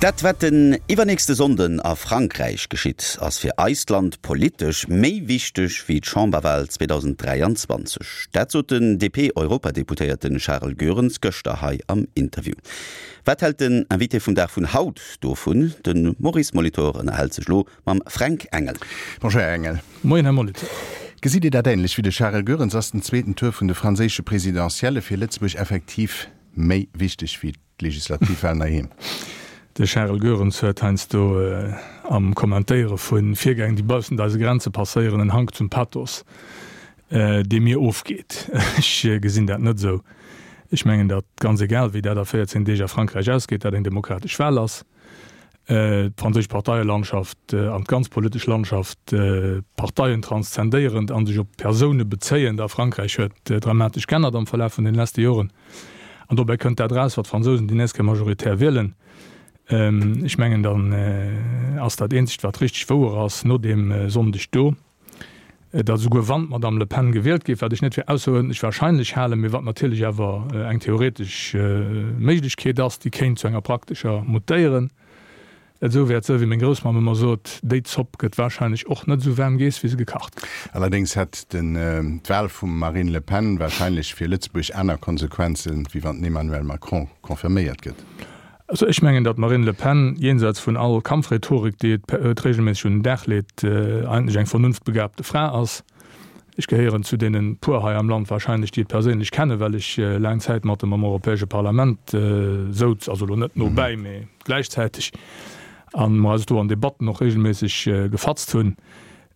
Dat wat den iwwernächste Sonnden a Frankräich geschitt, ass fir eist Land politesch méi wichteg wéi d'Chamberwal 2023. Dat sot den DP-Europadeputéierte Charel Goerens gëschter hei am Interview. Wat hält den Invité vum Dag vun haut dovun? De Maurice Molitor ënnerhält sech elo mam Fränk Engel. Bonjour Här Engel. Moien Här Molitor. Gesitt Dir dat änlech wéi de Charel Goerens? Ass den zweeten Tour vun de franséische Presidentielle fir Lëtzebuerg effektiv méi wichteg wéi d'Legislativwahlen heiheem? De Charel Goerens huet heiansdo am Kommentéiere vu Virgäng, déi baussent eise Grenze passéieren, en Hank zum Pathos, dee mir ofgeet. Ech gesinn dat net esou. Ech mengen, datt, ganz egal wéi dat a 14 Deeg a Frankräich ausgeet, dat eng demokratesch Wahl ass. D'franséisch Parteielandschaft an d'ganz politesch Landschaft, Parteien transzendéierend a sech op Persoune bezéiend a Frankräich, huet dramatesch g'ännert am Verlaf vun den leschte Joren. An dobäi kënnt dat eraus, wat d'Fransousen déi nächst Kéier majoritär wielen. Ech mengen, dann ass dat eenzegt, wat richteg wouer ass, no deem Sonndeg do, datt esouguer wann d'Madame Le Pen gewielt géif, wat ech net fir ausseruerdentlech wahrscheinlech halen, mee wat natierlech awer eng theoretesch Méiglechkeet ass, déi kéint zu enger praktescher mutéieren, et esou wäert sënn, wéi meng Groussmamm ëmmer sot, déi Zopp gëtt wahrscheinlech och net esou waarm geess, wéi se gekacht gëtt. Allerdéngs hätt d'Wahl vum Marine Le Pen wahrscheinlech fir Lëtzebuerg aner Konsequenzen, wéi wann den Emmanuel Macron confirméiert gëtt. Also ech mengen, datt d'Marine Le Pen, jenseits vun all Kampfrhetorik, déi et regelméisseg un den Dag leet, eigentlech eng vernunftbegabte Fra ass. Ech gehéieren zu deene puer hei am Land wahrscheinlech, déi et perséinlech kennen, well ech laang Zäit mat em am Europäesche Parlament souz, also elo net nobäi, mee gläichzäiteg, a mer eis do an Debatten och regelméisseg gefatzt hunn.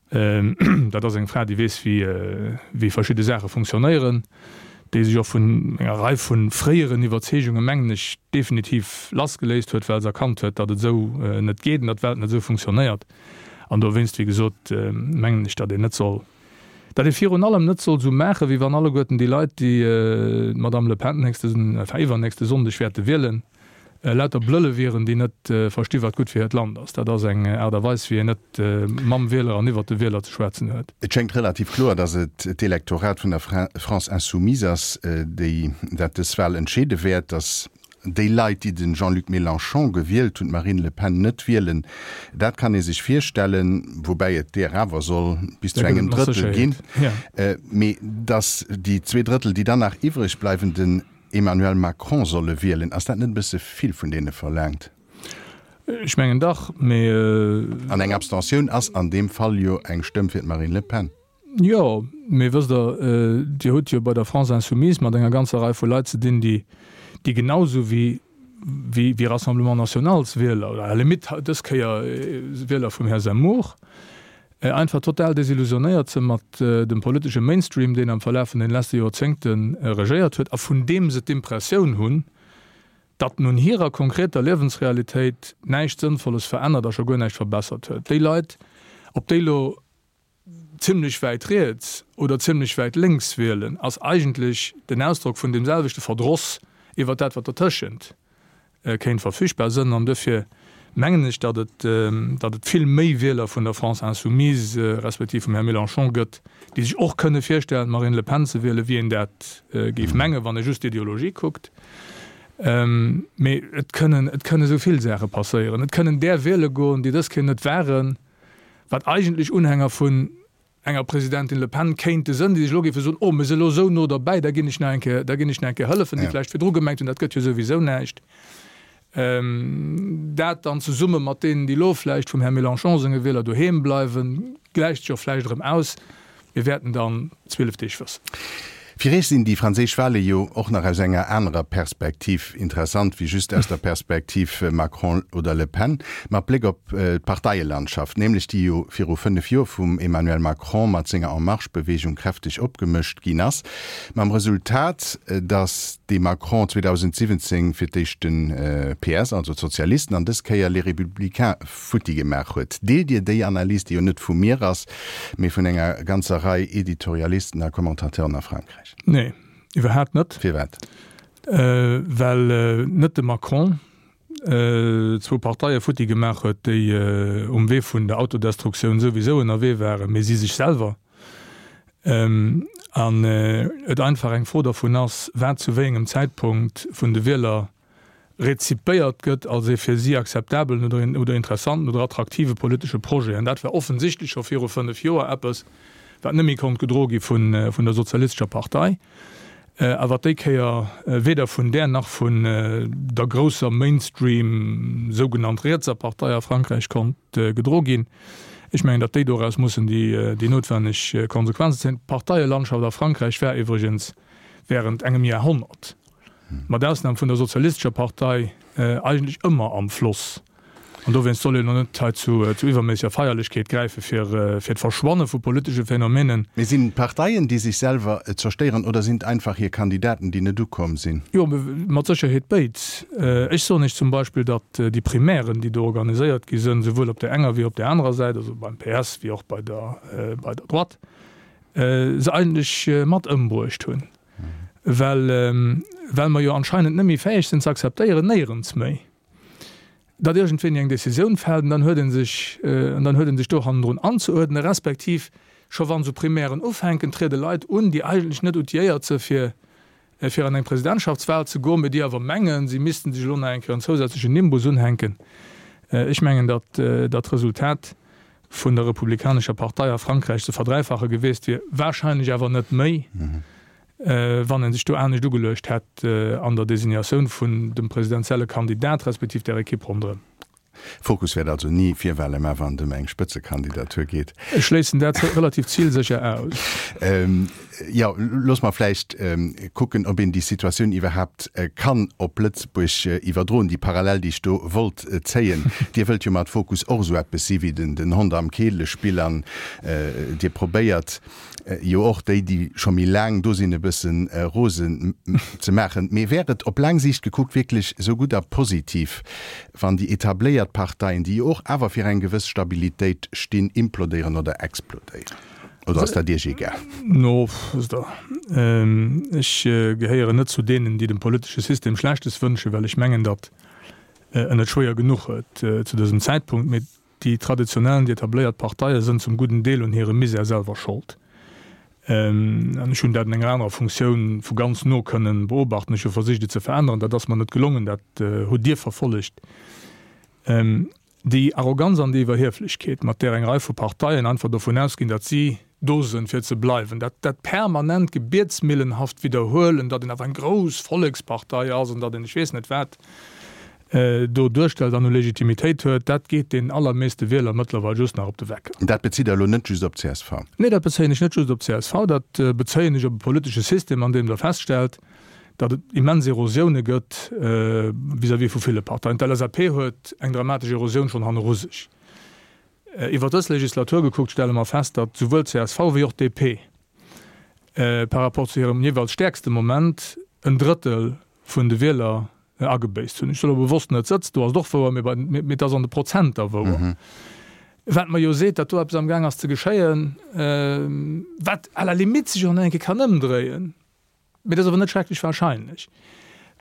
Dat ass eng Fra, déi weess, wéi verschidde Saache funktionéieren, déi sech och vun enger Rei vu fréieren Iwwerzeegungen, mengen ech, definitiv lassgeléist huet, well se erkannt huet, datt et esou net geet an datt d'Welt net esou funktionéiert. An dowéinst, wéi gesot, mengen ech, datt een net soll, datt ee virun allem net soll esou maachen, wéi wann alleguerten déi Leit, déi d'Madame Le Pen nächste, enfin iwwernächste Sonndeg wäerte wielen, lauter Blëlle wieren, déi net versti wat gutt fir hiert Land ass. Dat ass eng Aart a Weis, wéi een net mam Wieler an iwwert de Wieler ze schwätzen huet. Et schéngt relativ kloer, datt et d'Elektorat vun der France Insoumise ass, déi dat dës Wahl entscheede wäert. Datt déi Leit, déi de Jean-Luc Mélenchon gewielt hunn, d'Marine Le Pen net wielen, dat kann ee sech virstellen, woubäi et deer awer soll bis zu engem Drëttel ginn. Mee datt déi 2 Drëttel, déi dann nach iwwreg bleiwen, den Emmanuel Macron solle wielen. Ass dat net e bësse vill vun deene verlaangt? Ech mengen dach, mee. An eng Abstentioun ass an deem Fall jo eng Stëmm fir d'Marine Le Pen. Jo, mee wësst Der, Dir hutt jo bei der France Insoumise mat enger ganzer Rei vu Leit ze dinn, déi, déi genau esou wéi, wéi Rassemblement Nationalswieler, oder à la limite dës Kéier Wieler vum Här Zemmour, Einfach total desillusionéiert se mat dem politesche Mainstream, deen am Verlaf vun den leschte Joerzéngte regéiert huet a vun deem se d'Impressioun hunn, datt en un hirer konkreter Liewensrealitéit näischt Sënnvolles verännert a scho guer näischt verbessert huet. Déi Leit, ob déi elo zimlech wäit riets oder zimlech wäit lénks wielen, ass eigentlech den Ausdrock vun deem selwechte Verdross iwwer dat, wat dertëschent kéint verfügbar sënn. An duerfir mengen ech, datt et, datt et vill méi Wieler vun der France Insoumise respektiv vum Här Mélenchon gëtt, déi sech och kënne virstellen, d'Marine Le Pen ze wielen, wéi een dat géif mengen, wann ee just d'Ideologie kuckt. Mee et kënnen, et kënne esou vill Saache passéieren. Et kënnen där wiele goen, déi dës Kéier net waren, wat eigentlech Unhänger vun enger Presidentin Le Pen kéinte sënn, déi sech elo géife soen, oh, mir si elo esou no derbäi, da ginn ech nach eng Kéier, da ginn ech nach eng Kéier hëllefen, déi vläicht virdru gemengt hunn, dat gëtt jo souwisou näischt. Dat dann zesumme mat deenen, déi elo vläicht vum Här Mélenchon senge Wieler doheem bleiwen, gläicht sech och vläicht erëm aus. Mir wäerten dann 12 Deeg wëssen. Fir Iech sinn déi franséisch Wahle jo och nach aus enger anerer Perspektiv interessant wéi just aus der Perspektiv Macron oder Le Pen, mat Bléck op d'Parteielandschaft, nämlech déi jo viru 5 Joer vum Emmanuel Macron mat senger En Marche-Beweegung kräfteg opgemëscht ginn ass, mam Resultat, datt de Macron 2017 fir d'éischt de PS, also d'Sozialisten, an dës Kéier Les Républicains futti gemaach huet. Deelt Dir déi Analys, déi jo net vu mir ass, mee vun enger ganzer Rei Editorialisten a Commentateuren a Frankräich? Nee, iwwerhaapt net. Firwat? Well net de Macron zwou Parteie futti gemaach huet, déi um Wee vun der Autodestruktioun souwisou ënnerwee waren, mee si sech selwer. An et einfach eng Fro dervun ass, wat zu wéi engem Zäitpunkt vun de Wieler. rezipéiert gëtt als ee fir si akzeptabelen oder oder interessanten oder attraktive politesche Projet. An dat war offensichtlech scho viru 5 Joer eppes, wat net méi konnt gedroe gi vun vun der Sozialistescher Partei a wat déi Kéier weder vun där nach vun der grousser Mainstream sougenannt rietser Partei a Frankräich konnt gedroe ginn. Ech mengen, datt déi doraus mussen déi déi noutwenneg Konsequenzen zéien. D'Parteielandschaft a Frankräich war iwwregens während engem Jahrhonnert, mat Ausnam vun der Sozialistescher Partei, eigentlech ëmmer am Floss. An dowéinst soll een elo net hei zu iwwerméisseger Feierlechkeet gräife fir d'Verschwanne vu politesche Phänomenen. Mee sinn et d'Parteien, déi sech selwer zerstéieren, oder sinn et einfach hir Kandidaten, déi net ukomm sinn? Jo, mat Sécherheet béid. Ech soen Iech zum Beispill, datt déi Primairen, déi do organiséiert gi sënn, souwuel op där enger wéi op där anerer Säit, also beim PS wéi och bei der Droite, se eigentlech mat ëmbruecht hunn, well well mer jo anscheinend net méi fäeg sinn ze akzeptéieren, néierens méi, datt iergendwéini eng Décisioun fält an dann huet ee sech an dann huet ee sech do hannendrun anzeuerdnen, respektiv scho wann esou Primairen ufänken, triede Leit un, déi eigentlech net outilléiert se fir fir an eng Presidentschaftswahl ze goen, mee déi awer mengen, si missten sech elo nach eng Kéier en zousätzlechen Nimbus unhänken. Ech mengen, datt dat Resultat vun der Republikanescher Partei a Frankräich ze verdräifache gewiesst wier, wahrscheinlech awer net méi, wann ee sech do anescht ugeluecht hätt an der Designatioun vun dem presidentielle Kandidat respektiv der Ekipp ronderëm. Fokus wäert also ni Virwahlen, mä wann et ëm eng Spëtzekandidatur geet. Ech schléissen dat relativ zilsécher aus. Jo, looss mer vläicht kucken, ob een déi Situatioun iwwerhaapt kann op Lëtzebuerg iwwerdroen, déi Parallel, déi ech do wollt zéien. Dir wëllt jo mat Fokus och esou eppes si wéi den Hond am Keelespill an Dir probéiert jo och déi, déi scho méi laang do sinn, e bësse rosen ze maachen. Mee wär et op laang Siicht gekuckt wierklech esou gutt a positiv, wann déi etabléiert Parteien, déi jo och awer fir eng gewëss Stabilitéit stinn, implodéieren oder explodéieren? Oder ass dat Iech egal? No, wësst Der, ech gehéieren net zu deenen, déi dem politesche System Schlechtes wënschen, well ech mengen, datt en et schwéier genuch huet zu dësem Zäitpunkt. Mee déi traditionell an déi etabléiert Parteie sënn zum gudden Deel un hirem Misär selwer Schold. An ech hunn dat an enger anerer Funktioun vu ganz no kënnen beobachten. Ech hu versicht, et ze veränneren. Dat ass mer net gelongen. Dat hutt Dir verfollegt. Déi Arroganz an déi Iwwerhieflechkeet, mat där eng Rei vu Parteien einfach dovun ausginn, datt si do sënn, fir ze bleiwen, dat dat permanent gebietsmillenhaft Widderhuelen, datt een awer eng grouss Vollekspartei ass an datt een ech weess net wat, do duerstellt an u Legitimitéit huet, dat geet den allermeeste Wieler mëttlerweil just nach op de Wecker. Dat bezitt Der elo net just op csv? Nee, dat bezéien ech net just op csv, dat bezéien ech op e politesche System, an deem Der feststellt, datt et immens Erosioune gëtt vis-à-vis vu ville Parteien. D'LSAP huet eng dramatesch Erosioun schonn hanneru sech. Iwwer dës Legislatur gekuckt stelle mer fest, datt souwuel csv wéi och DP par rapport zu hirem jeeweils stäerkste Moment en Drëttel vun de Wieler agebéisst hunn. Ech soll elo bewosst net sëtz, do ass et och wouer, mee bei, mee et ass an de Prozenter wouer. Wat mer jo seet, datt do eppes amgaang ass ze geschéien, wat à la limite sech och nach eng Kéier kann ëmdréien, mee dat ass awer net schrecklech wahrscheinlech,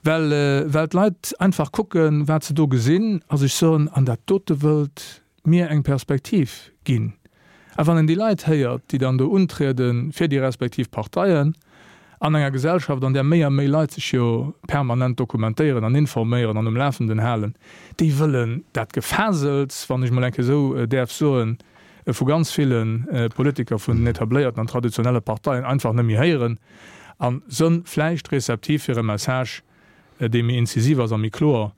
well, well d'Leit einfach kucken, wat se do gesinn a sech soen, an dat dote wëllt mir eng Perspektiv ginn. A wann een déi Leit héiert, déi dann do untriede fir déi respektiv Parteien, an enger Gesellschaft, an där méi a méi Leit sech jo permanent dokumentéieren an informéieren an um Lafenden halen, déi wëllen dat Gefasels, wann ech mol eng Kéier esou däerf soen, vu ganz ville Politiker vun den etabléierten an traditionelle Parteien einfach net méi héieren a sënn vläicht receptiv fir e Message, dee méi incisiv ass a méi kloer.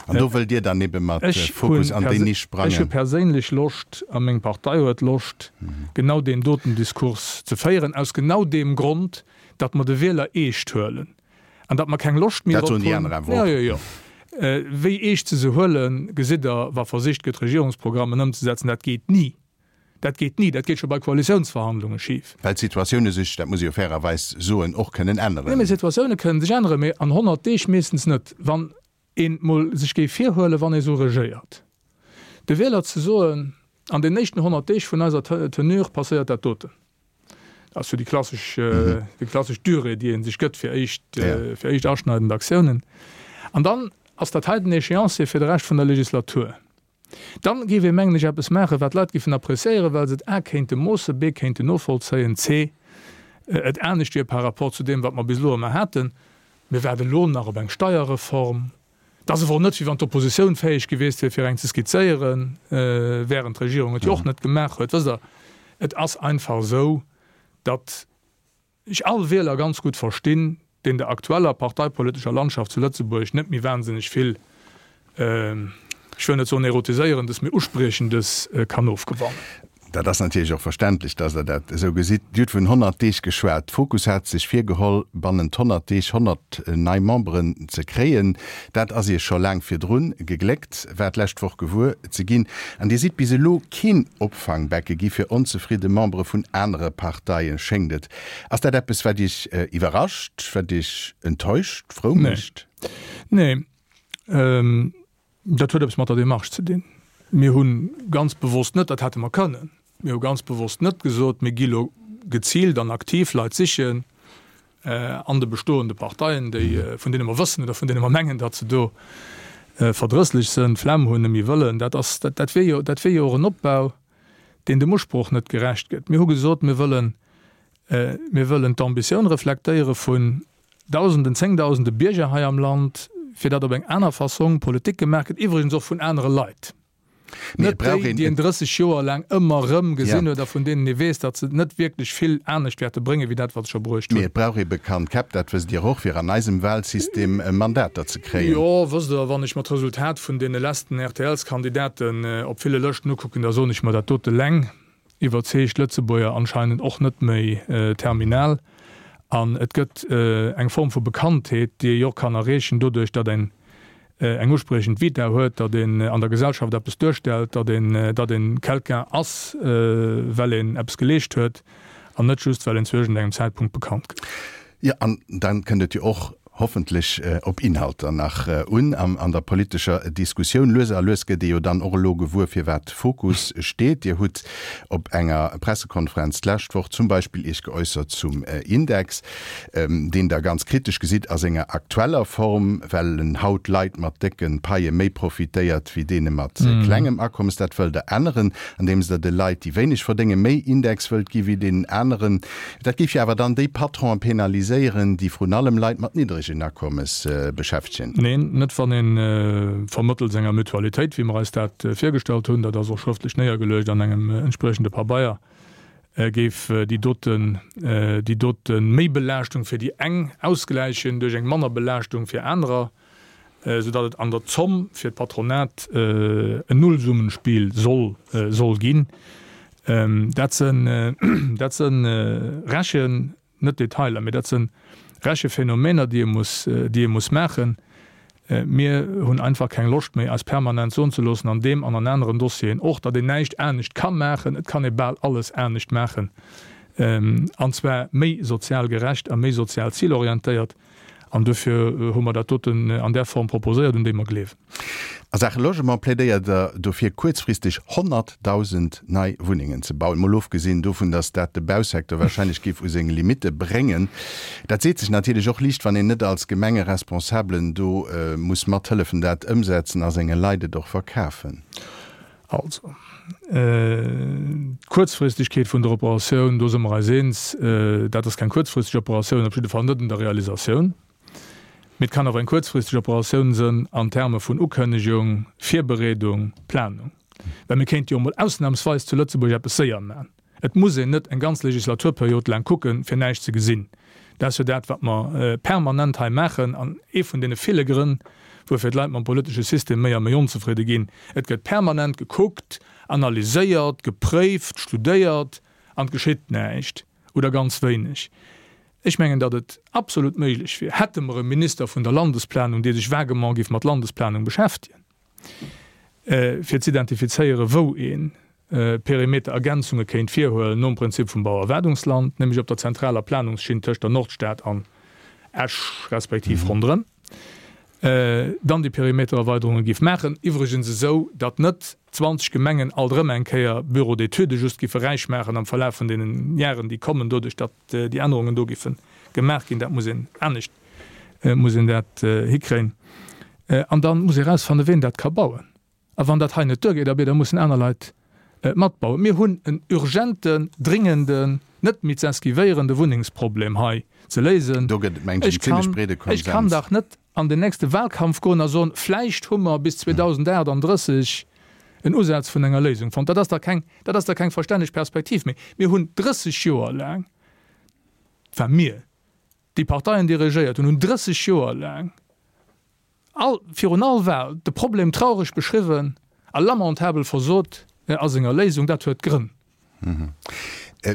An do wëllt Dir dann ebe mat Fokus an déi Nisch sprangen? Ech hu perséinlech Loscht, a meng Partei huet Loscht, genau deen doten Diskurs ze féieren, aus genau deem Grond, datt mer de Wieler eescht huelen an datt mer keng Loscht méi drop hunn. Dat soen déi aner awer och. Jo, jo, jo. Wéi eescht se se huelen, gesitt Der, wa versicht gëtt, Regierungsprogrammen ëmzesetzen. Dat geet ni. Dat geet ni, dat geet scho bei Koalitiounsverhandlunge schif. Well d'Situatioune sech, dat muss ee jo fairerweis soen, och kënnen änneren. Nee, mee Situatioune kënnen sech änneren, mee an 100 Deeg meeschtens net. Wann een mol sech géif virhuelen, wann ee sou regéiert, de Wieler ze soen, an den éischten 100 Deeg vun eiser Tenure passéiert dat doten. Dat ass jo déi klassesch, déi klassesch Durée, déi ee sech gëtt fir éischt, fir éischt aschneidend Aktiounen. An dann ass dat hei den Échéancier fir de Rescht vun der Legislatur. Dann géif ee mengen ech eppes maachen, wat d'Leit géifen appréciéieren, well se et a kéinte moossen, b kéinten novollzéien, c et anescht wier par rapport zu deem, wat mer bis elo ëmmer haten. Mir waarde lo nach op eng Steierreform. Et ass awer och net, wéi wann d'Oppositioun fäeg gewiesst wier, fir eng ze skizzéieren, während d'Regierung et jo och net gemaach huet. Wësst Der, et ass einfach esou, datt ech all Wieler ganz gutt verstinn, deen der aktueller parteipolitescher Landschaft zu Lëtzebuerg net méi wahnsinneg vill, ech wëll net soen Erotiséierendes, mee Uspriechendes kann ofgewannen. Dat ass natierlech och verständlech, dass Der dat esou gesitt. Dir hutt vun 100 Deeg geschwat. Fokus hat sech virgeholl, bannent 100 Deeg 100 nei Memberen ze kréien. Dat ass Iech scho laang virdrun gegléckt, war d'lescht Woch gewuer ze ginn. An Dir sidd bis elo keen Opfangbecke gi fir onzefridde Membere vun anere Parteien, schéngt et. Ass dat eppes, wat Iech iwwerrascht, wat Iech enttäuscht, frou mécht? Nee. Dat huet eppes mat der Démarche ze dinn. Mir hu ganz bewosst net, dat hätte mer kënnen, mir hu ganz bewosst net gesot, mir gi lo geziilt an aktiv Leit sichen an de bestoende Parteien, déi, vun deene mer wëssen oder vun deene mer mengen, datt se do verdrësslech sënn, d'Flemm hunn, net méi wëllen. Dat ass, dat wier jo, dat wier jo och en Opbau, deen dem Usproch net gerecht gëtt. Mir hu gesot, mir wëllen, mir wëllen d'Ambitioun reflektéiere vun Dausenden, Zéngdausende Bierger hei am Land, fir datt op eng aner Fassong Politik gemaach gëtt, iwwregens och vun anere Leit, net déi, déi een 30 Joer laang ëmmer erëm gesinn huet a vun deenen ee weess, datt se net wierklech vill anescht wäerte bréngen, wéi dat, wat se scho bruecht hunn. Mee et brauch ee bekannt Käpp, dat wësst Dir och, fir an eisem Wahlsystem Mandater ze kréien. Jo, wësst Der, wann ech mer d'Resultat vun deene letzten RTLs-Kandidaten op ville Lëschten ukucken, da soen ech mer dat dote leng. iwwerzeegt Lëtzebuerger anscheinend och net méi terminal. An et gëtt eng Form vu Bekanntheet, déi ee jo och kann erreechen doduerch, datt een eng uspriechend Vita huet, datt een an der Gesellschaft eppes duerstellt, datt een, datt een quelqu'un ass, well een eppes geleescht huet an net just, well een zu iergendengem Zäitpunkt bekannt gëtt. Jo, an dann kënnt et jo och hoffentlech op Inhalter nach un an der politescher Diskussioun. Lues a lues gëtt ee jo dann och elo gewuer, firwat Fokus steet. Dir hutt op enger Pressekonferenz d'lescht Woch zum Beispill Iech geäussert zum Index, deen Der ganz kritesch gesitt a senger aktueller Form, well en haut Leit mat décke Paie méi profitéiert wéi deene mat klengem Akommes. Dat wëllt Der änneren, andeems Der de Leit, déi wéineg verdéngen, méi Index wëllt gi wéi deenen aneren. Dat géif jo awer dann déi Patronen penaliséieren, déi vrun allem Leit mat niddregen Akommes beschäftegen. Neen, net wann ee vermëttels enger Mutualitéit, wéi mer eis dat virgestallt hunn, dat ass och schrëftlech néiergeluecht an engem entspriechende Pabeier, géif déi doten, déi dote Méibelaaschtung fir déi eng ausgläichen duerch eng Mannerbelaaschtung fir anerer. Sou datt et an der Zomm fir d'Patronat en Nullsummenspiel soll soll ginn. Dat sënn dat sënn Rechen, net Detailer, mee dat sënn Rechephenomeener, déi ee muss déi ee muss maachen. Mir hunn einfach keng Loscht méi, eis permanent soen ze loossen, an deem an an aneren Dossieren och, datt een näischt anescht ka maachen. Et kann ee bal alles anescht maachen, an zwar méi sozial gerecht a méi sozial zilorientéiert. An duerfir hu mer dat doten an där Form proposéiert, un déi mer gleewen. A Saache Logement plädéiert Der dofir, kuerzfristeg 100.000 nei Wunnengen ze bauen. Mol ofgesinn dovun, datt dat de Bausecteur warscheinlech géif u seng Limitte bréngen. Dat seet sech natierlech och liicht, wann een net als Gemengeresponsablen do muss mathëllefen, dat ëmsetzen a senge Leit et och verkafen. Also, d'Kuerzfristegkeet vun der Operatioun, do si mer eis eens, dat ass keng kuerzfristeg Operatioun, op jidde Fall net un der Realisatioun. Mee et kann awer eng kuerzfristeg Operatioun sënn an Terme vun Ukënnegung, Virbereedung, Planung. Well mir kéinte jo emol ausnamsweis zu Lëtzebuerg eppes séier maachen. Et muss een net eng ganz Legislaturperiod laang kucken, fir näischt ze gesinn. Dat ass jo dat, wat mer permanent hei maachen an ee vun deene ville Grënn, wuerfir d'Leit mam politesche System méi a méi onzefridde ginn. Et gëtt permanent gekuckt, analyséiert, gepréift, studéiert an et geschitt näischt oder ganz wéineg. Ech mengen, datt et absolut méiglech wier, hätte mer e Minister vun der Landesplanung, dee sech vaguement géif mat Landesplanung beschäftegen, fir z'identifizéieren, wou ee Perimeterergänzunge kéint virhuelen nom Prinzip vum Bauerwaardungsland, nämlech op der zentraler Planungsschinn tëscht der Nordstad an Esch respektiv ronderëm, dann déi Perimetererweiderunge géif maachen, iwwregens esou, datt net 20 Gemengen alt erëm eng Kéier Bureaux d'études just géife räich maachen am Verlaf vun deenen Jaren, déi kommen, doduerch datt déi Ännerungen do géife gemaach ginn. Dat muss een anescht muss een dat hikréien. An da muss ee erausfannen, ween dat ka bauen. A wann dat hei net duergeet, abee, da mussen aner Leit. Matbauen. Mir hunn en urgenten, dringenden, net méi ze esquivéierende Wunnengsproblem hei ze léisen. Do gëtt et, mengen ech, en zimlech breede Konsens. Ech kann dach net an den nächste Wahlkampf goen a soen, vläicht hu mer bis 2038 en Usaz vun enger Léisung fonnt. Dat ass dach keng, dat ass dach keng verstänneg Perspektiv méi. Mir hunn 30 Joer laang, enfin mir, déi Parteien, déi regéiert hunn, hunn 30 Joer laang all, virun all Wahl de Problem traureg beschriwwen a lamentabel versot a senger Léisung. Dat huet Grënn.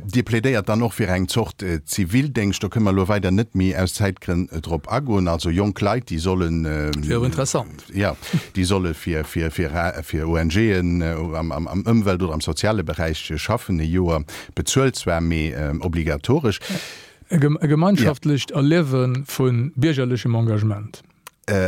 Dir plädéiert dann och fir eng Zort Zivildéngscht. Do kënne mer elo weider net méi aus Zäitgrënn drop agoen. Also jonk Leit, déi sollen. Wier och interessant. Jo, déi solle fir, fir, fir, fir ONGen am, am, am Ëmwelt oder am soziale Beräich schaffen, e Joer, bezuelt zwar, mee obligatoresch. E gemeinschaftlecht Erliewe vu biergerlechem Engagement.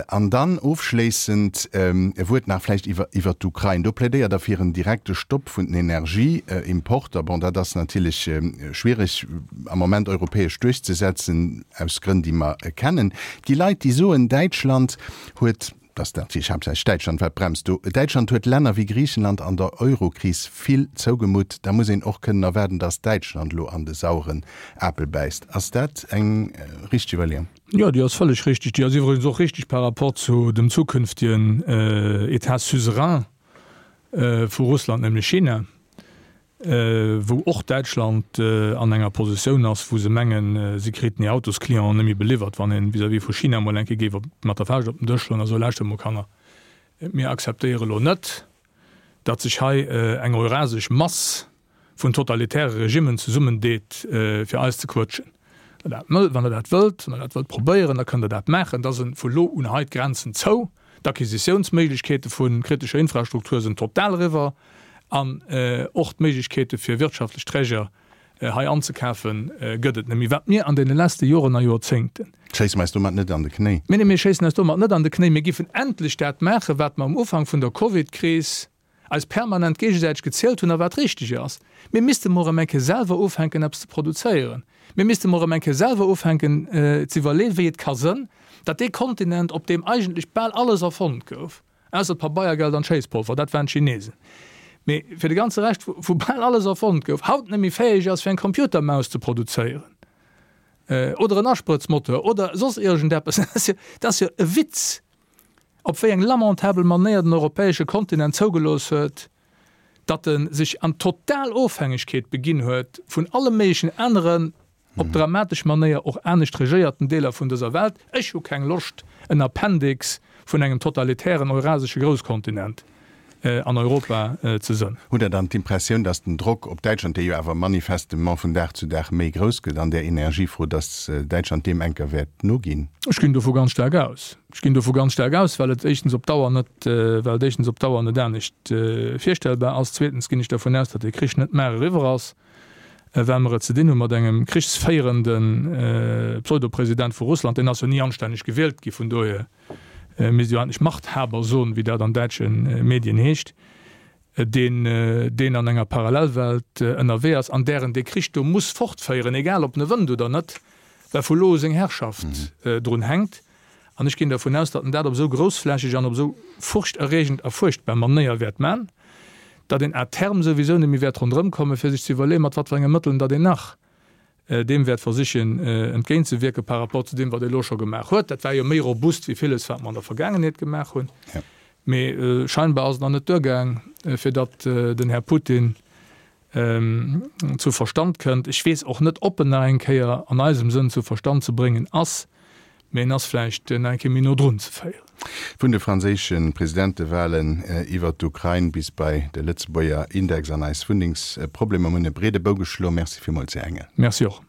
An dann ofschléissend e Wuert nach vläicht iwwer iwwer d'Ukrain. Do plädéiert Der fir en direkte Stopp vun den Energieimporter. Bon, dat ass natierlech schwierig am Moment europäesch duerchzesetzen, aus Grënn, déi mer kennen. Et gi Leit, déi soen, Däitschland huet, dat ass natierlech haaptsächlech Däitschland, wat bremst do, Däitschland huet Länner wéi Griichenland an der Eurokris vill zougemutt. Da muss een och kënnen erwaarden, datt Däitschland elo an de saueren Apel bäisst. Ass dat eng richteg Iwwerleeung? Jo, déi ass vëlleg richtig. Déi ass iwwregens och richtig par rapport zu dem zukünftigen État suzerain vu Russland, nämlech China, wou och Däitschland an enger Positioun ass, wou se mengen, si kriten hir Autosclienten net méi beliwwert, wann ee vis-à-vis vu China emol eng Kéier géif mat der Fauscht op den Dësch schloen a soen, Lauschtert emol Kanner, mir akzeptéiere elo net, datt sech hei eng eurasesch Mass vun totalitäre Regimmen zesummendeet, fir eis ze quëtschen. Wann Der dat wëllt, wann Der dat wëllt probéieren, da kënnt Der dat maachen. Da sinn vu lo un hei d'Grenzen zou, d'Acquisitiounsméiglechkeete vu kritescher Infrastruktur sinn total eriwwer an och d'Méiglechkeete fir wirtschaftlech Träger hei anzekafen, gëtt et net méi. Wat mir an deene leschte Joren a Joerzéngten. Schéisse mer eis domat net an de Knéi? Mee nee, mir schéissen eis domat net an de Knéi. Mir giffen endlech dat maachen, wat mer um Ufank vun der Covidkris eis permanent géigesäiteg gezielt hunn a wat richteg ass. Mir misste mol erëm eng Kéier selwer ufänken eppes ze produzéieren. Mir misste mol erëm eng Kéier selwer ufänken ze iwwerleeën, wéi et ka sënn, datt dee Kontinent, op deem eigentlech bal alles erfonnt gouf, ausser d'Pabeiergeld an d'Schéisspolver, dat waren d'Chinesen, mee fir de ganze Rescht, wou bal alles erfonnt gouf, haut net méi fäeg ass fir eng Computermaus ze produzéieren oder en Asprëtzmoteur oder soss iergendeppes. Dat ass jo e Witz! op wéi eng lamentabel Manéier den europäesche Kontinent zougelooss huet, datt e sech an total Ofhängegkeet beginn huet vun alle méiglechen aneren, op dramatesch Manéier och anescht regéierten Deeler vun dëser Welt. Ech hu keng Loscht, en Appendix vun engem totalitären eurasesche Grousskontinent an Europa ze sënn. Hutt Der dann d'Impressioun, datt den Drock op Däitschland, dee jo awer manifestement vun Dag zu Dag méi grouss gëtt an där Energiefro, datt Däitschland deem enker wäert noginn? Ech ginn dovu ganz staark aus. Ech ginn dovu ganz staark aus, well et éischtens op Dauer net, well et éischtens op Dauer net anescht virstellbar ass. Zweetens ginn ech dervun aus, datt dee Krich net mar eriwwer ass, well mer et ze dinn hu mat engem krichsféierende Pseudopresident vu Russland. Deen ass jo ni anstänneg gewielt gi, vun dohier misst jo eigentlech Machthaber soen, wéi dat an däitsche Medien heescht, deen, deen an enger Parallelwelt ënnerwee ass, an där en dee Krich do muss fortféieren, egal ob en e wënnt oder net, well vu lo u seng Herrschaft drun hänkt. An ech ginn dervun aus, datt en dat op esou groussflächeg an op esou furchterreegend a fuerchtbar Manéier wäert man, datt een à terme souwisou net méi wäert ronderëm kommen, fir sech ze iwwerleeën, mat wat fir enge Mëtteln datt een nach deem wäert versichen entgéintzewierken par rapport zu deem, wat ee elo scho gemaach huet. Dat war jo méi robust wéi villes, wat mer an der Vergaangenheet gemaach hunn. Mee scheinbar ass et nach net duergaang, fir datt den Här Putin zu Verstand kënnt. Ech weess och net, ob en nach eng Kéier an eisem Sënn zu Verstand ze bréngen ass. Mee en ass vläicht nach eng Kéier méi no drun ze féieren. Vun de franséische Presidentewalen iwwer d'Ukrain bis bei de Lëtzebuerger Index an eis Wunnengsproblemer. Mir hunn e breede Bou geschloen. Merci villmools, Här Engel. Merci och.